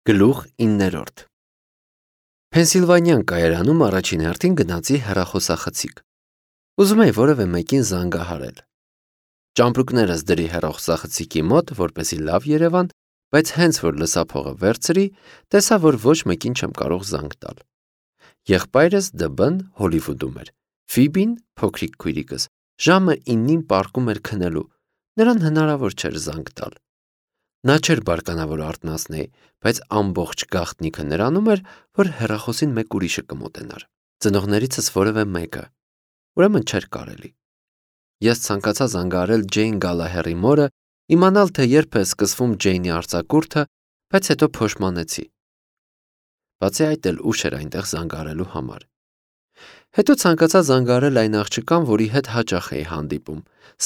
Գլուխ 9-րդ Փենսիլվանիան կայարանում առաջին հերթին գնացի հեռախոսախցիկ։ Ուզում էի որևէ մեկին զանգահարել։ Ճամպրուկներս դրի հեռախոսախցիկի մոտ, որպեսզի լավ երևան, բայց հենց որ լսափողը վերցրի, տեսա, որ ոչ մեկին չեմ կարող զանգ տալ։ Եղբայրս ԴԲ-ն Հոլիվուդում էր, Ֆիբին, փոքրիկ քույրիկս, ժամը 9-ին պառկում էր քնելու, նրան հնարավոր չէր զանգ տալ։ Նա չէր բարկանա, որ արթնացնեի, բայց ամբողջ գաղտնիքը նրանում էր, որ հեռախոսին մեկ ուրիշը կմոտենար, ծնողներիցս որևէ մեկը, ուրեմն չէր կարելի։ Ես ցանկացա զանգահարել Ջեյն Գալահերի մորը, իմանալ, թե երբ է սկսվում Ջեյնի արձակուրդը, բայց հետո փոշմանեցի։ Բացի այդ էլ ուշ էր այնտեղ զանգահարելու համար։ Հետո ցանկացա զանգահարել այն աղջկան, որի հետ հաճախ էի հանդիպում,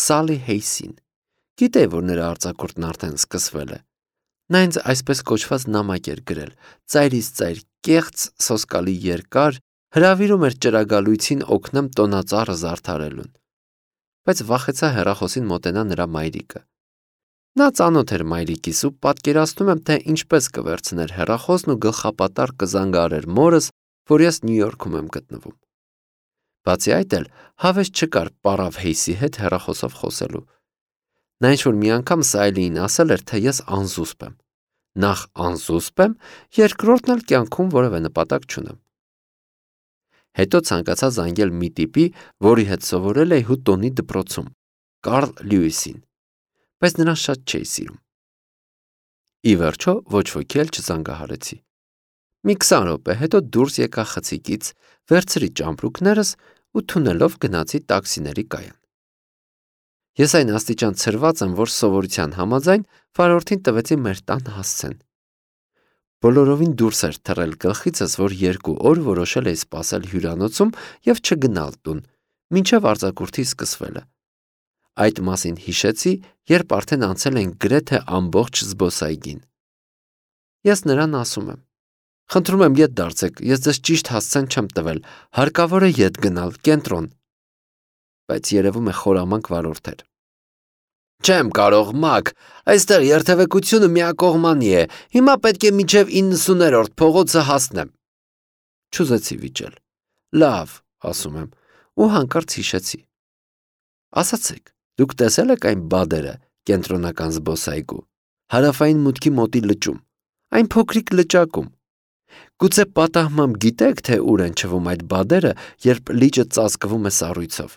Սալի Հեյսին։ Գիտեի, որ նրա արձակուրդն արդեն սկսվել է։ Նա ինձ այսպես կոչված նամակ էր գրել, ծայրից ծայր, կեղծ, սոսկալի երկար, հրավիրում էր ճրագալույցին օգնեմ տոնածառը զարդարելուն։ Բայց վախեցա հեռախոսին մոտենա նրա մայրիկը։ Նա ծանոթ էր մայրիկիս ու պատկերացնում եմ, թե ինչպես կվերցներ հեռախոսն ու գլխապատառ կզանգահարեր մորս, որ ես Նյու Յորքում եմ գտնվում։ Բացի այդ էլ հավես չկար պարավ Հեյսի հետ հեռախոսով խոսելու։ Նա ինչ-որ մի անգամ Սայլիին ասել էր, թե ես անզուսպ եմ։ Նախ անզուսպ եմ, երկրորդն էլ կյանքում որևէ նպատակ չունեմ։ Հետո ցանկացա զանգել մի տիպի, որի հետ սովորել էի Հուտոնի դպրոցում, Կարլ Լյուիսին, բայց նրան շատ չէի սիրում։ Ի վերջո ոչ ոքի էլ չզանգահարեցի։ Մի 20 րոպե հետո դուրս եկա խցիկից, վերցրի ճամպրուկներս ու թունելով գնացի տաքսիների կայան։ Ես այն աստիճան ցրված եմ, որ սովորության համաձայն վարորդին տվեցի մեր տան հասցեն։ Բոլորովին դուրս էր թռել գլխիցս, որ 2 օր որոշել էի սպասել հյուրանոցում և չգնալ տուն, մինչև արձակուրդի սկսվելը։ Այդ մասին հիշեցի, երբ արդեն անցել ենք գրեթե ամբողջ զբոսայգին։ Ես նրան ասում եմ. խնդրում եմ ետ դարձեք, ես ձեզ ճիշտ հասցեն չեմ տվել, հարկավոր է ետ գնալ, կենտրոն։ Բայց երևում է խորամանկ վարորդ էր։ Չեմ կարող, Մակ, այստեղ երթևեկությունը միակողմանի է, հիմա պետք է մինչև 90-րդ փողոցը հասնեմ։ Չուզեցի վիճել։ Լավ, ասում եմ, ու հանկարծ հիշեցի։ Ասացեք, դուք տեսել եք այն բադերը, կենտրոնական զբոսայգու, հարավային մուտքի մոտի լճում, այն փոքրիկ լճակում։ Գուցե պատահմամբ գիտեք, թե ուր են չվում այդ բադերը, երբ լիճը ծածկվում է սառույցով։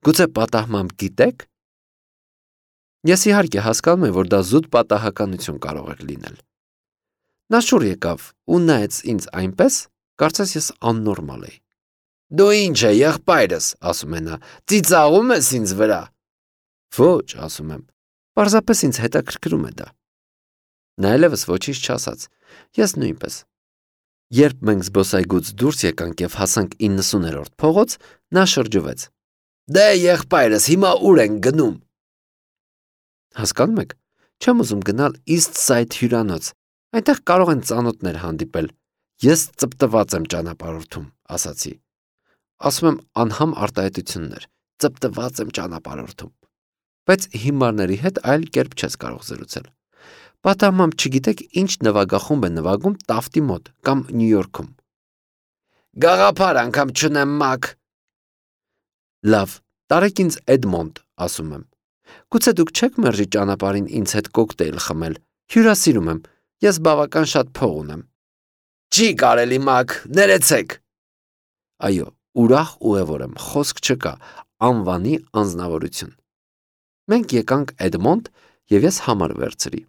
Գուցե պատահմամբ գիտեք։ Ես իհարկե հասկանում եմ, որ դա զուտ պատահականություն կարող էր լինել։ Նա շուռ եկավ ու նայեց ինձ այնպես, կարծես ես աննորմալ էի։ Դու ինչ է, եղբայրս, ասում է նա, ծիծաղում ես ինձ վրա։ Ոչ, ասում եմ, պարզապես ինձ հետաքրքրում է դա։ Նա այլևս ոչինչ չասաց, ես նույնպես։ Երբ մենք զբոսայգուց դուրս եկանք և հասանք 90-րդ փողոց, նա շրջվեց։ Դե եղբայրս, հիմա ուր ենք գնում։ Հասկանում եք, չեմ ուզում գնալ East Side հյուրանոց, այնտեղ կարող են ծանոթներ հանդիպել։ Ես ծպտված եմ ճանապարհորդում, ասացի։ Ասում եմ անհամ արտահայտություններ, ծպտված եմ ճանապարհորդում։ Բայց հիմարների հետ այլ կերպ չես կարող զրուցել։ Պատահմամբ չգիտեք ինչ նվագախումբ է նվագում Տաֆտի մոտ կամ Նյու Յորքում։ Գաղափար անգամ չունեմ, Մակ։ Լավ, տարեք ինձ Էդմոնդ, ասում եմ։ Գուցե դուք չեք մերժի ճանապարհին ինձ հետ կոկտեյլ խմել, հյուրասիրում եմ, ես բավական շատ փող ունեմ։ Չի կարելի, Մակ, ներեցեք։ Այո, ուրախ ուղևոր եմ, խոսք չկա, անվանի անձնավորություն։ Մենք եկանք Էդմոնդ և ես համար վերցրի։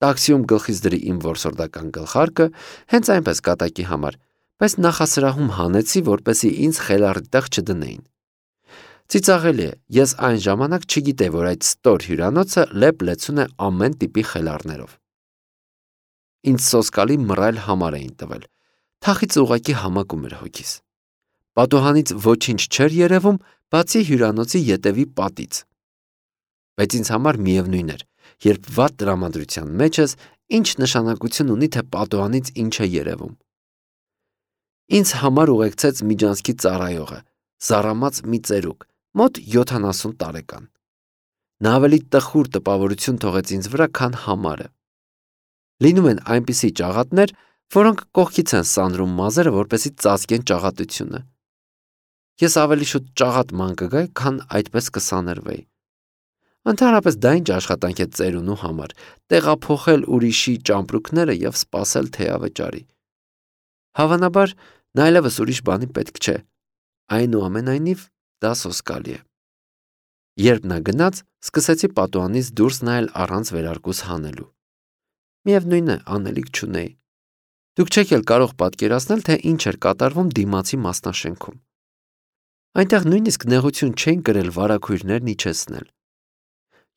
Տաքսիում գլխից դրի իմ որսորդական գլխարկը, հենց այնպես կատակի համար, բայց նախասրահում հանեցի, որպեսզի ինձ խելառի տեղ չդնեին։ Ծիծաղելի է, ես այն ժամանակ չգիտեի, որ այդ ստոր հյուրանոցը լեփ-լեցուն է ամեն տիպի խելառներով։ Ինձ սոսկալի մռայլ համար էին տվել, թախից ուղղակի համակում էր հոգիս։ Պատուհանից ոչինչ չէր երևում, բացի հյուրանոցի ետևի պատից։ Բայց ինձ համար միևնույն էր, երբ վատ տրամադրության մեջ ես, ինչ նշանակություն ունի, թե պատուհանից ինչ է երևում։ Ինձ համար ուղեկցեց միջանցքի ծառայողը, զառամած մի ծերուկ, մոտ 70 տարեկան։ Նա ավելի տխուր տպավորություն թողեց ինձ վրա, քան համարը։ Լինում են այնպիսի ճաղատներ, որոնք կողքից են սանրում մազերը, որպեսզի ծածկեն ճաղատությունը։ Ես ավելի շուտ ճաղատ ման կգայի, քան այդպես կսաներվեի։ Ընդհանրապես դա ինչ աշխատանք է ծերունու համար, տեղափոխել ուրիշի ճամպրուկները և սպասել թե ավճարի։ Հավանաբար, նա այլևս ուրիշ բանի պետք չէ, այնուամենայնիվ դա սոսկալի է։ Երբ նա գնաց, սկսեցի պատուհանից դուրս նայել առանց վերարկուս հանելու։ Միևնույն է, անելիք չունեի։ Դուք չեք էլ կարող պատկերացնել, թե ինչ էր կատարվում դիմացի մասնաշենքում։ Այնտեղ նույնիսկ նեղություն չէին կրել վարագույրներն իջեցնել։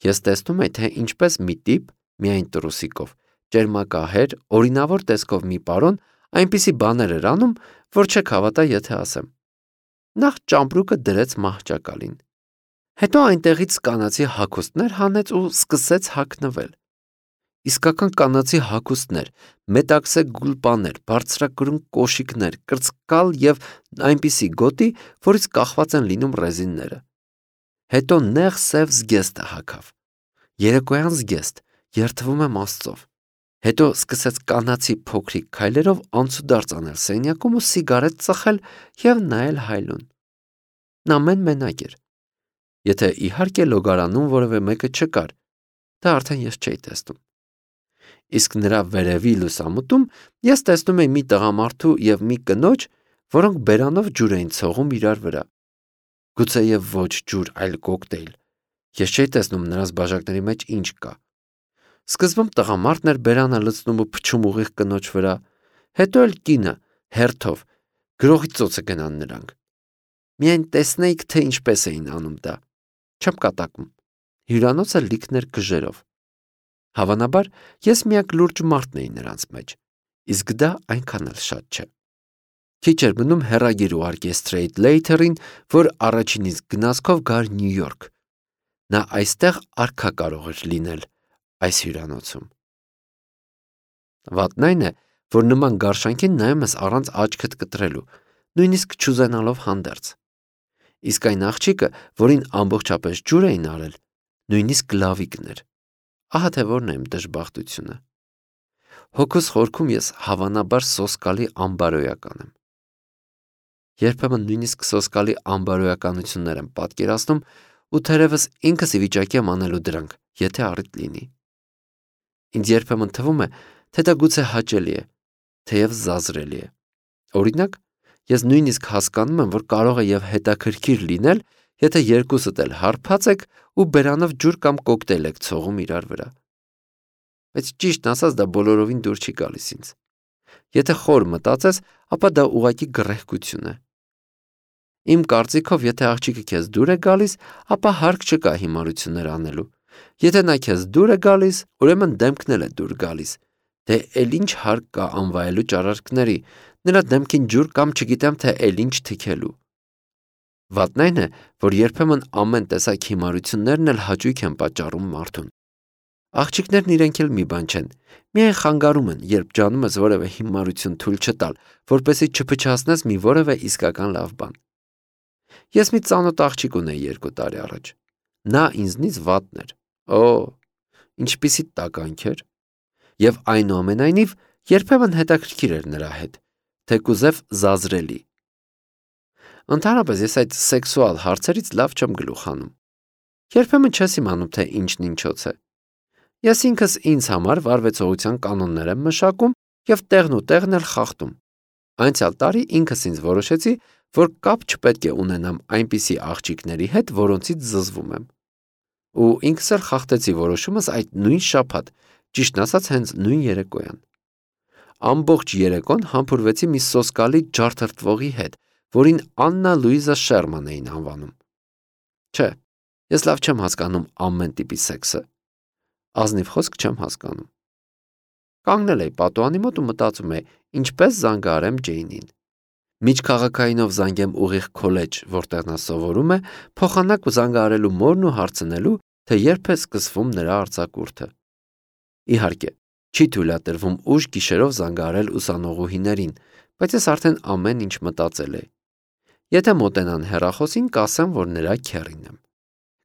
Ես տեսնում էի, թե ինչպես մի տիպ, միայն տրուսիկով, ճերմակահեր, օրինավոր տեսքով մի պարոն այնպիսի բաներ էր անում, որ չեք հավատա, եթե ասեմ։ Նախ ճամպրուկը դրեց մահճակալին։ Հետո այնտեղից կանացի հագուստներ հանեց ու սկսեց հագնվել։ Իսկական կանացի հագուստներ, մետաքսե գուլպաներ, բարձրակրուն կոշիկներ, կրծկալ և այնպիսի գոտի, որից կախված են լինում ռեզինները։ Հետո նեղ սև զգեստը հագավ։ Երեկոյան զգեստ, երդվում եմ Աստծով։ Հետո սկսեց կանացի փոքրիկ քայլերով անցուդարձ անել սենյակում ու սիգարետ ծխել և նայել հայլուն։ Նա մենակ էր։ Եթե իհարկե լոգարանում որևէ մեկը չկար, դա արդեն ես չէի տեսնում։ Իսկ նրա վերևի լուսամուտում ես տեսնում էի մի տղամարդու և մի կնոջ, որոնք բերանով ջուր էին ցողում իրար վրա։ Գուցեև ոչ ջուր, այլ կոկտեյլ։ Ես չէի տեսնում նրանց բաժակների մեջ ինչ կա։ Սկզբում տղամարդն էր բերանը լցնում ու փչում ուղիղ կնոջ վրա, հետո էլ կինը, հերթով, գրողի ծոցը գնան նրանք։ Միայն տեսնեիք, թե ինչպես էին անում դա։ Չեմ կատակում։ Հյուրանոցը լիքն էր գժերով։ Հավանաբար, ես միակ լուրջ մարդն էի նրանց մեջ, իսկ դա այնքան էլ շատ չէ։ Քիչ էր մնում հեռագիր ուղարկի Straight Later-ին, որ առաջինից գնացքով գար Նյու Յորք։ Նա այստեղ արքա կարող էր լինել, այս հյուրանոցում։ Վատն այն է, որ նման գարշանքին նայում ես առանց աչքդ կտրելու, նույնիսկ չուզենալով հանդերձ։ Իսկ այն աղջիկը, որին ամբողջապես ջուր էին արել, նույնիսկ լավիկն էր։ Ահա թե որն է իմ դժբախտությունը։ Հոգուս խորքում ես հավանաբար սոսկալի ամբարոյական եմ։ Երբեմն նույնիսկ սոսկալի ամբարոյականություններ եմ պատկերացնում ու թերևս ինքս ի վիճակի եմ անելու դրանք, եթե առիթ լինի։ Ինձ երբեմն թվում է, թե դա գուցե հաճելի է, թեև զազրելի է։ Օրինակ, ես նույնիսկ հասկանում եմ, որ կարող է և հետաքրքիր լինել, եթե երկուսդ էլ հարբած եք ու բերանով ջուր կամ կոկտեյլ եք ցողում իրար վրա։ Բայց ճիշտն ասած դա բոլորովին դուր չի գալիս ինձ։ Եթե խոր մտածես, ապա դա ուղղակի գռեհկություն է։ Իմ կարծիքով, եթե աղջիկը քեզ դուր է գալիս, ապա հարկ չկա հիմարություններ անելու։ Եթե նա քեզ դուր է գալիս, ուրեմն դեմքն էլ է դուր գալիս։ Դե էլ ինչ հարկ կա անվայելու ճարարքների, նրա դեմքին ջուր կամ չգիտեմ թե էլ ինչ թքելու։ Վատն այն է, որ երբեմն ամեն տեսակ հիմարություններն էլ հաճույք են պատճառում մարդուն։ Աղջիկներն իրենք էլ մի բան չեն, միայն խանգարում են, երբ ջանում ես որևէ հիմարություն թույլ չտալ, որպեսզի չփչացնես մի որևէ իսկական լավ բան։ Ես մի ծանոթ աղջիկ ունեի 2 տարի առաջ։ Նա ինձնից վատն էր։ Օ, ինչպիսի տականք էր։ Եվ այնուամենայնիվ երբեմն հետաքրքիր էր նրա հետ, թեկուզև զազրելի։ Ընդհանրապես ես այդ սեքսուալ հարցերից լավ չեմ գլուխ հանում։ Երբեմն չես իմանում, թե ինչն ինչոց է։ Ես ինքս ինձ համար վարվեցողության կանոններ եմ մշակում և տեղն ու տեղն էլ խախտում։ Անցյալ տարի ինքս ինձ որոշեցի, որ կապ չպետք է ունենամ այնպիսի աղջիկների հետ, որոնցից զզվում եմ։ Ու ինքս էլ խախտեցի որոշումս այդ նույն շաբաթ, ճիշտն ասած հենց նույն երեկոյան։ Ամբողջ երեկոն համբուրվեցի մի սոսկալի ջարդրտվողի հետ, որին Աննա Լուիզա Շերման էին անվանում։ Չէ, ես լավ չեմ հասկանում ամեն տիպի սեքսը։ Ազնիվ խոսք չեմ հասկանում։ Կանգնել էի պատուհանի մոտ ու մտածում էի, ինչպես զանգահարեմ Ջեյնին։ Միջքաղաքայինով զանգեմ ուղիղ քոլեջ, որտեղ նա սովորում է, փոխանակ զանգահարելու մորն ու հարցնելու, թե երբ է սկսվում նրա արձակուրդը։ Իհարկե, չի թույլատրվում ուշ գիշերով զանգահարել ուսանողուհիներին, բայց ես արդեն ամեն ինչ մտածել էի։ Եթե մոտենան հեռախոսին, կասեմ, որ նրա քեռին եմ։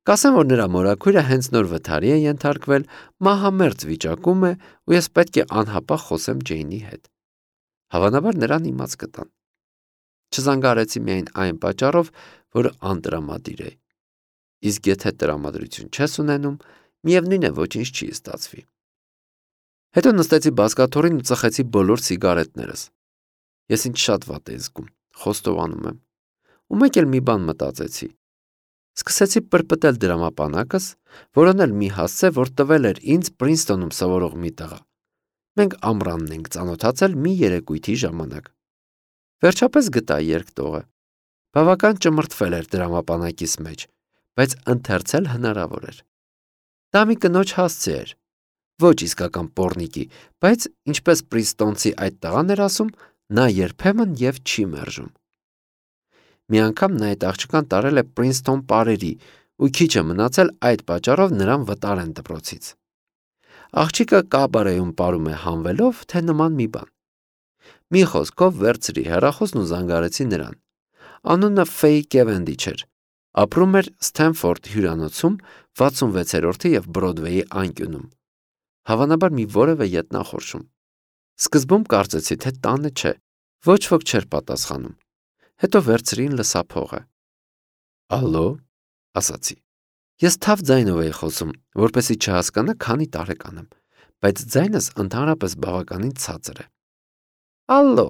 Կասեմ, որ նրա մորաքույրը հենց նոր վթարի է ենթարկվել, մահամերձ վիճակում է ու ես պետք է անհապաղ խոսեմ Ջեյնի հետ։ Հավանաբար նրան իմաց կտան։ Չզանգահարեցի միայն այն պատճառով, որ անտրամադիր է։ Իսկ եթե տրամադրություն չես ունենում, միևնույն է ոչինչ չի ստացվի։ Հետո նստեցի բազկաթոռին ու ծխեցի բոլոր սիգարետներս։ Ես ինձ շատ վատ էի զգում, խոստովանում եմ։ Ու մեկ էլ մի բան մտածեցի։ Սկսեցի պրպտել դրամապանակս, որոնել մի հասցե, որ տվել էր ինձ Պրինսթոնում սովորող մի տղա։ Մենք ամռանն ենք ծանոթացել մի երեկույթի ժամանակ։ Վերջապես գտա երկտողը։ Բավական ճմրթվել էր դրամապանակիս մեջ, բայց ընթերցել հնարավոր էր։ Դա մի կնոջ հասցե էր։ Ոչ իսկական պոռնիկի, բայց ինչպես Պրինսթոնցի այդ տղան էր ասում, նա երբեմն եւ չի մերժում։ Մի անգամ նա այդ աղջկան տարել է Պրինսթոն պարերի ու քիչ է մնացել այդ պատճառով նրան վտարեն դպրոցից։ Աղջիկը կաբարեում ապարում է հանվելով, թե նման մի բան։ Մի խոսքով վերցրի հեռախոսն ու զանգարեցի նրան։ Անունը Ֆեյ Կևենդիչ էր։ Ապրում էր Սթենֆորդ հյուրանոցում 66-րդ եւ Բրոդվեյի անկյունում։ Հավանաբար մի որևէ ետնախորշում։ Սկզբում կարծեցի, թե տանը չէ, ոչ ոք չէր պատասխանում։ Հետո վերցրին լսափողը։ Ալո, ասացի։ Ես թավ ձայնով էի խոսում, որպեսզի չհասկանա քանի տարեկան եմ, բայց ձայնս ընդհանրապես բավականին ցածր է։ Ալո,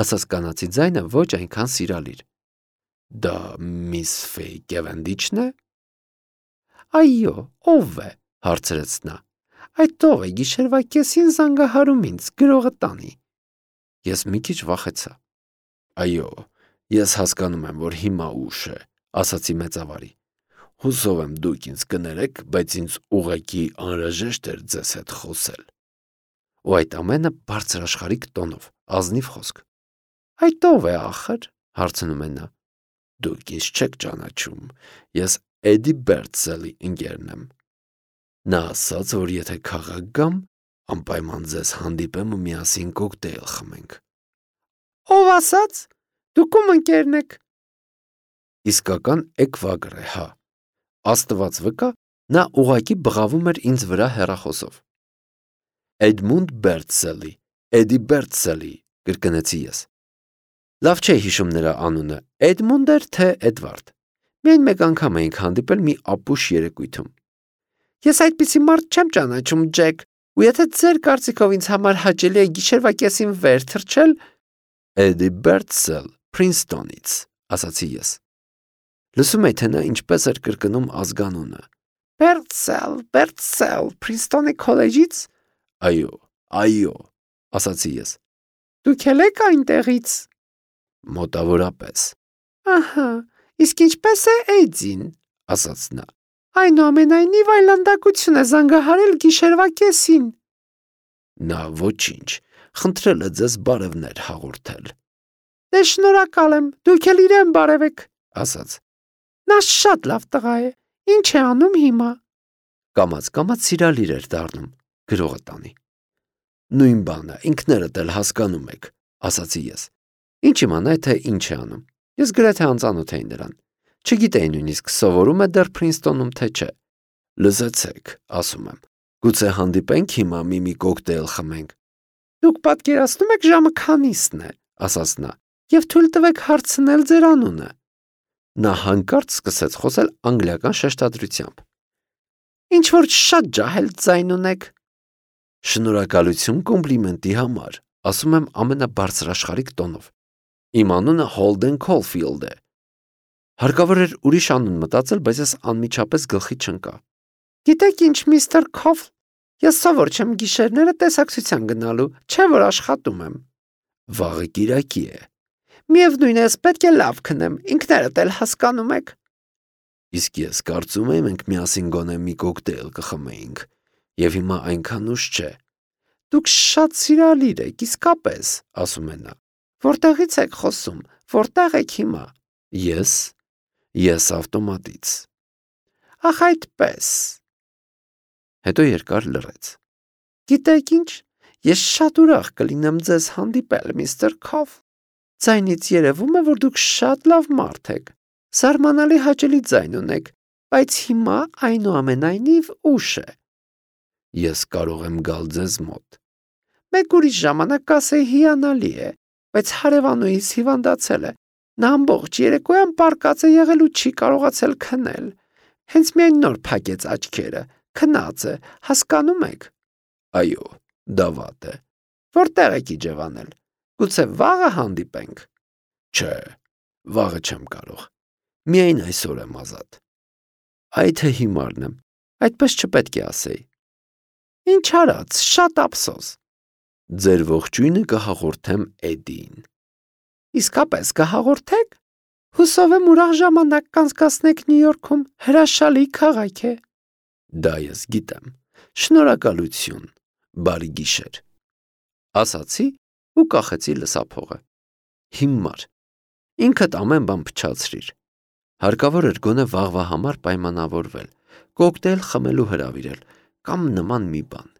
ասաց կանացի ձայնը ոչ այնքան սիրալիր։ Դա միս Ֆեյ Կևենդիչն է։ Այո, ով է, հարցրեց նա։ Այդ ով է գիշերվա կեսին զանգահարում ինձ գրողը տանի։ Ես մի քիչ վախեցա։ Այո, ես հասկանում եմ, որ հիմա ուշ է, ասացի մեծավարի։ Հուսով եմ դուք ինձ կներեք, բայց ինձ ուղղակի անհրաժեշտ էր ձեզ հետ խոսել։ Ու այդ ամենը բարձրաշխարհիկ տոնով, ազնիվ խոսք։ Այդ ով է ախր, հարցնում է նա։ Դուք ինձ չեք ճանաչում, ես Էդի Բերցելի ընկերն եմ։ Նա ասաց, որ եթե քաղաք գամ, անպայման ձեզ հանդիպեմ ու միասին կոկտեյլ խմենք։ Ով ասաց։ Դուք ում ընկերն եք։ Իսկական էկվագր է, հա։ Աստված վկա, նա ուղակի բղավում էր ինձ վրա հեռախոսով։ Էդմունդ Բերցելի, Էդի Բերցելի, կրկնեցի ես։ Լավ չէ հիշում նրա անունը, Էդմունդ էր թե Էդվարդ։ Միայն մեկ անգամ էինք հանդիպել մի ապուշ երեկույթում։ Ես այդպիսի մարդ չեմ ճանաչում, Ջեք, ու եթե ձեր կարծիքով ինձ համար հաճելի է գիշերվա կեսին վեր թռչել, Էդի Բերցել, Պրինսթոնից, ասացի ես։ Լսում եք, թե նա ինչպես էր կրկնում ազգանունը։ Բերցել, Պրինսթոնի քոլեջից։ Այո, ասացի ես։ Դուք էլ եք այնտեղից։ Մոտավորապես։ Ահա, իսկ ինչպես է Էդին, ասաց նա։ Այնուամենայնիվ այլանդակություն է զանգահարել գիշերվա կեսին։ Նա ոչինչ, խնդրել է ձեզ բարևներ հաղորդել։ Դե շնորհակալ եմ, դուք էլ իրեն բարևեք, ասաց։ Նա շատ լավ տղա է, ինչ է անում հիմա։ Կամաց սիրալիր էր դառնում, գրողը տանի։ Նույն բանը, ինքներդ էլ հասկանում եք, ասացի ես։ Ինչ իմանա, թե ինչ է անում։ Ես գրեթե անծանոթ էի նրան։ Չգիտեի նույնիսկ սովորում է դեռ Պրինսթոնում, թե չէ։ Լսեցեք, ասում եմ, գուցե հանդիպենք հիմա մի կոկտեյլ խմենք։ Դուք պատկերացնում եք ժամը քանիսն է, ասաց նա, եւ թույլ տվեք հարցնել ձեր անունը։ Նա հանկարծ սկսեց խոսել անգլիական շեշտադրությամբ։ Ինչ որ շատ ջահել ձայն ունեք։ Շնորհակալություն կոմպլիմենտի համար, ասում եմ ամենաբարձրաշխարհիկ տոնով։ Իմ անունը Հոլդեն Քոլֆիլդ է։ Հարկավոր էր ուրիշ անուն մտածել, բայց ես անմիջապես գլխի չընկա։ Գիտեք ինչ, միստր Քոֆ, ես սովոր չեմ գիշերները տեսակցության գնալու, չէ որ աշխատում եմ։ Վաղը կիրակի է։ Միևնույն է, ես պետք է լավ քնեմ, ինքներդ էլ հասկանում եք։ Իսկ ես կարծում եմ մենք միասին գոնե մի կոկտեյլ կխմեինք, եւ հիմա այնքան ուշ չէ։ Դուք շատ սիրալիր եք, իսկապես, ասում է նա։ Որտեղից եք խոսում, որտեղ եք հիմա։ Ես ավտոմատից։ Ախ այդպես։ Հետո երկար լռեց։ Գիտեք ինչ, ես շատ ուրախ կլինեմ ձեզ հանդիպել, միստր Քոֆ։ Ձայնից երևում է, որ դուք շատ լավ մարդ եք։ Զարմանալի հաճելի ձայն ունեք, բայց հիմա այնուամենայնիվ ուշ է։ Ես կարող եմ գալ ձեզ մոտ։ Մեկ ուրիշ ժամանակ կասեի հիանալի է, բայց հարևանուհիս հիվանդացել է։ Նա ամբողջ երեկոյան պառկած է եղել ու չի կարողացել քնել։ Հենց միայն նոր փակեց աչքերը, քնած է, հասկանում եք։ Այո, դա վատ է։ Որտեղ եք իջևանել։ Գուցե վաղը հանդիպենք։ Չէ, վաղը չեմ կարող։ Միայն այսօր եմ ազատ։ Այ թե հիմարն եմ, այդպես չպետք է ասեի։ Ինչ արած, շատ ափսոս։ Ձեր ողջույնը կհաղորդեմ Էդիին։ Իսկապես կհաղորդեք։ Հուսով եմ ուրախ ժամանակ կանցկացնեք Նյու Յորքում, հրաշալի քաղաք է։ Դա ես գիտեմ։ Շնորհակալություն, բարի գիշեր։ Ասացի ու կախեցի լսափողը։ Հիմար։ Ինքդ ամեն բան փչացրիր։ Հարկավոր էր գոնե վաղվա համար պայմանավորվել, կոկտեյլ խմելու հրավիրել կամ նման մի բան։